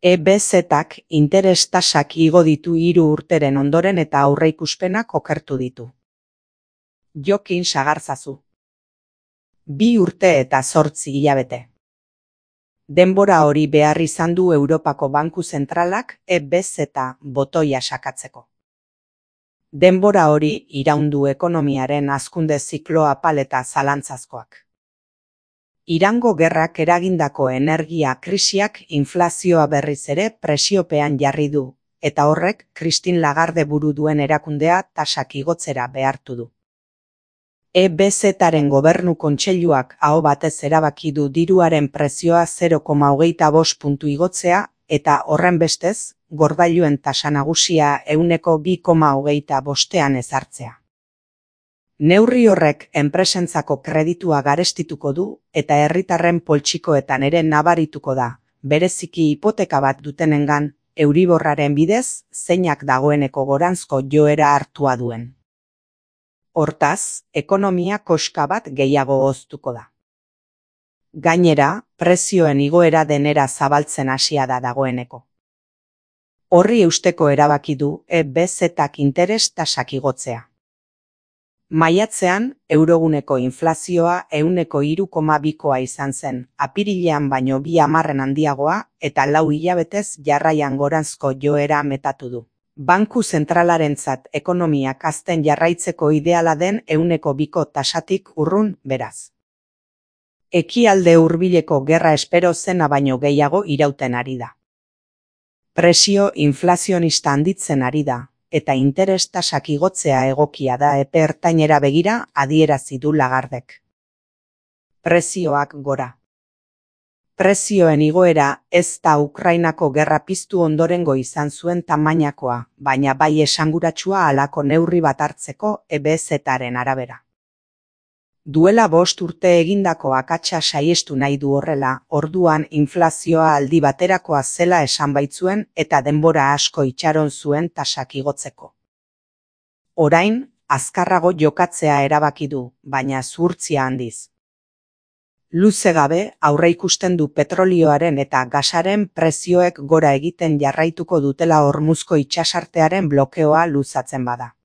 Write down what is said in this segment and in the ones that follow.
EBZ-ak interes tasak igo ditu 3 urteren ondoren eta aurreikuspenak okertu ditu. Jokin sagarzazu. 2 urte eta 8 hilabete. Denbora hori behar izan du Europako Banku Zentralak EBZ botoia sakatzeko. Denbora hori iraundu ekonomiaren hazkunde ziklo apal eta zalantzazkoak. Irango gerrak eragindako energia krisiak inflazioa berriz ere presiopean jarri du, eta horrek Christine Lagarde buru duen erakundea tasak igotzera behartu du. EBZ-aren gobernu kontseiluak aho batez erabaki du diruaren prezioa 0,25 puntu igotzea eta horrenbestez, gordailuen tasa nagusia 2,25ean ezartzea. Neurri horrek enpresentzako kreditua garestituko du eta herritarren poltsikoetan ere nabarituko da, bereziki hipoteka bat dutenengan, Euriborraren bidez, zeinak dagoeneko goranzko joera hartua duen. Hortaz, ekonomia koska bat gehiago hoztuko da. Gainera, prezioen igoera denera zabaltzen hasia da dagoeneko. Horri eusteko erabaki du EBZ-ak interes tasak igotzea. Maiatzean, euroguneko inflazioa 3,2koa izan zen, apirilean baino 2 handiagoa eta 4 hilabetez jarraian goranzko joera metatu du. Banku Zentralarentzat ekonomiak hazten jarraitzeko ideala den 2ko tasatik urrun beraz. Ekialde hurbileko gerra espero zena baino gehiago irauten ari da. Presio inflazionista handitzen ari da, eta interes tasak igotzea egokia da epe ertainera begira adierazi du Lagardek. Prezioak gora. Prezioen igoera ez da Ukrainako gerra piztu ondorengo izan zuen tamainakoa, baina bai esanguratsua halako neurri bat hartzeko EBZ-aren arabera. Duela 5 urte egindako akatsa saihestu nahi du horrela, orduan inflazioa aldi baterakoa zela esan baitzuen eta denbora asko itxaron zuen tasak igotzeko. Orain, azkarrago jokatzea erabaki du, baina zuhurtzia handiz. Luze gabe aurreikusten du petrolioaren eta gasaren prezioek gora egiten jarraituko dutela Hormuzko itsasartearen blokeoa luzatzen bada.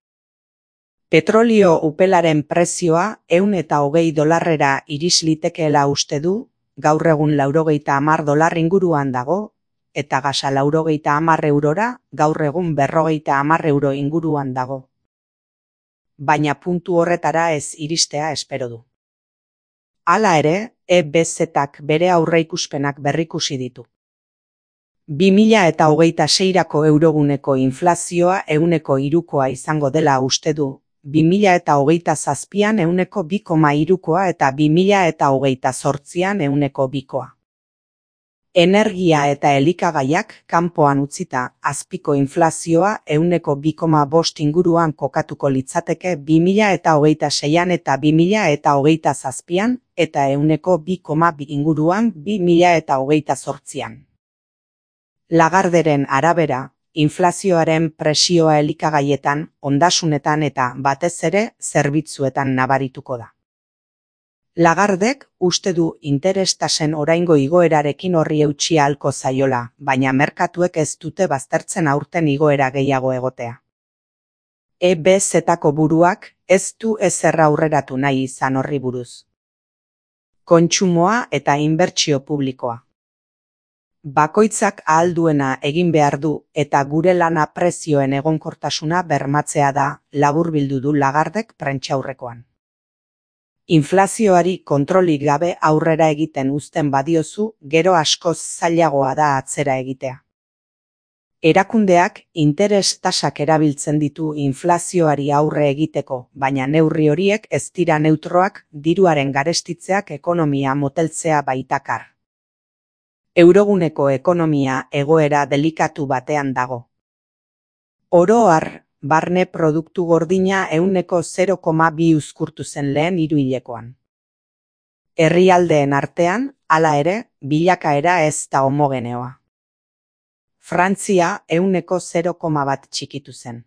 Petrolio upelaren prezioa $120 iris litekeela uste du, gaur egun $90 inguruan dago, eta gasa €90 gaur egun €50 inguruan dago. Baina puntu horretara ez iristea espero du. Hala ere, EBZ-ak bere aurreikuspenak berrikusi ditu. 2026rako euroguneko inflazioa 3koa izango dela uste du, 2027an 2,3koa eta 2028an 2koa. Energia eta elikagaiak kanpoan utzita, azpiko inflazioa 2,5 inguruan kokatuko litzateke 2026an eta 2027an eta 2,2 inguruan 2028an. Lagarderen arabera, inflazioaren presioa elikagaietan, ondasunetan eta batez ere zerbitzuetan nabarituko da. Lagardek uste du interes tasen oraingo igoerarekin horri eutsi ahalko zaiola, baina merkatuek ez dute baztertzen aurten igoera gehiago egotea. EBZ-ako buruak ez du ezer aurreratu nahi izan horri buruz. Kontsumoa eta inbertsio publikoa. Bakoitzak ahal duena egin behar du eta gure lana prezioen egonkortasuna bermatzea da, laburbildu du Lagardek prentsaurrekoan. Inflazioari kontrolik gabe aurrera egiten uzten badiozu, gero askoz zailagoa da atzera egitea. Erakundeak interes tasak erabiltzen ditu inflazioari aurre egiteko, baina neurri horiek ez dira neutroak, diruaren garestitzeak ekonomia moteltzea baitakar. Euroguneko ekonomia egoera delikatu batean dago. Oro har, barne produktu gordina 0,2 uzkurtu zen lehen hiruhilekoan. Herrialdeen artean, hala ere, bilakaera ez da homogeneoa. Frantzia 0,1 txikitu zen.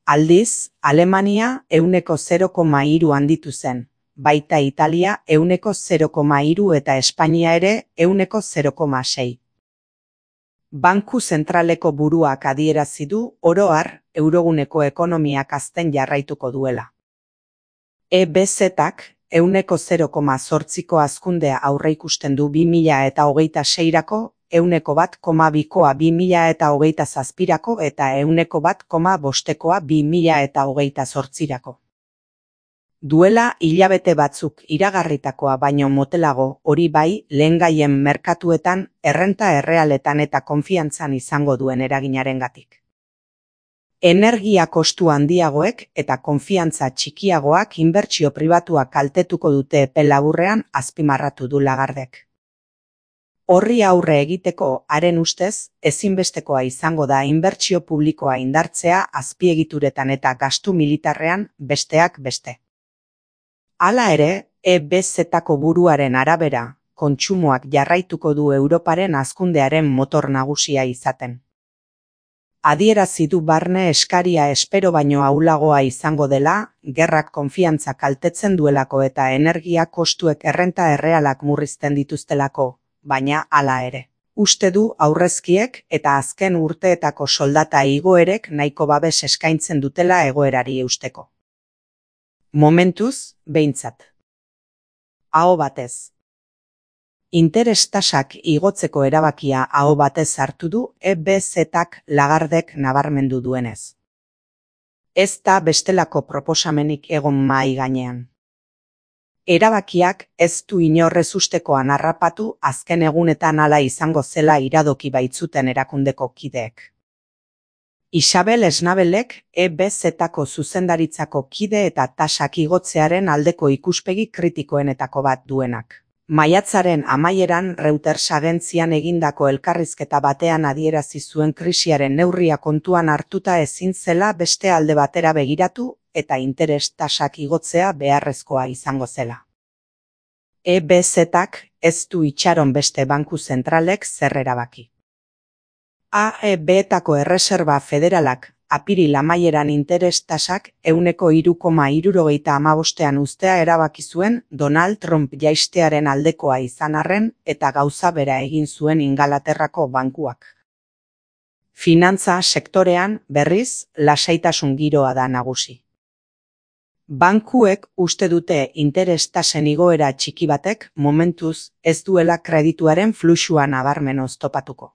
Aldiz, Alemania 0,3 handitu zen, baita Italia 0,3 eta Espainia ere 0,6. Banku zentraleko buruak adierazi du oro har euroguneko ekonomiak hazten jarraituko duela. EBZ-ak 0,8ko hazkundea aurreikusten du 2026rako, 1,2koa 2027rako eta 1,5koa 2028rako. Duela hilabete batzuk iragarritakoa baino motelago, hori bai, lehengaien merkatuetan, errenta errealetan eta konfiantzan izango duen eraginarengatik. Energia kostu handiagoek eta konfiantza txikiagoak inbertsio pribatuak kaltetuko dute epe laburrean, azpimarratu du Lagardek. Horri aurre egiteko, haren ustez, ezinbestekoa izango da inbertsio publikoa indartzea azpiegituretan eta gastu militarrean, besteak beste. Hala ere, EBZ-ako buruaren arabera, kontsumoak jarraituko du Europaren hazkundearen motor nagusia izaten. Adierazi du barne eskaria espero baino ahulagoa izango dela, gerrak konfiantza kaltetzen duelako eta energia kostuek errenta errealak murrizten dituztelako, baina hala ere. Uste du aurrezkiek eta azken urteetako soldata igoerek nahiko babes eskaintzen dutela egoerari eusteko. Momentuz, behintzat. Aho batez. Interes tasak igotzeko erabakia aho batez hartu du EBZ-ak Lagardek nabarmendu duenez. Ez da bestelako proposamenik egon mahai gainean. Erabakiak ez du inorrez ustekoan harrapatu azken egunetan hala izango zela iradoki baitzuten erakundeko kideek. Isabel Esnabelek EBZ-ako zuzendaritzako kide eta tasak igotzearen aldeko ikuspegi kritikoenetako bat duenak. Maiatzaren amaieran Reuters agentzian egindako elkarrizketa batean adierazi zuen krisiaren neurria kontuan hartuta ezin zela beste alde batera begiratu eta interes tasak igotzea beharrezkoa izango zela. EBZ-ak ez du itxaron beste banku zentralek zer erabaki. AEB-etako erreserba federalak apiril amaieran interes tasak 3,75ean uztea erabaki zuen Donald Trump jaistearen aldekoa izan arren eta gauza bera egin zuen Ingalaterrako bankuak. Finantza sektorean, berriz, lasaitasun giroa da nagusi. Bankuek uste dute interes tasen igoera txiki batek momentuz ez duela kredituaren fluxua nabarmen oztopatuko.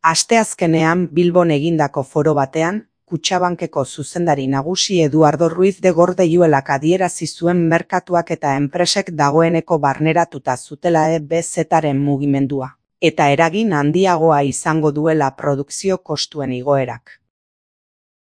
Asteazkenean Bilbon egindako foro batean, Kutxabankeko zuzendari nagusi Eduardo Ruiz de Gordilluelak adierazi zuen merkatuak eta enpresek dagoeneko barneratuta zutela EBZ-aren mugimendua, eta eragin handiagoa izango duela produkzio kostuen igoerak.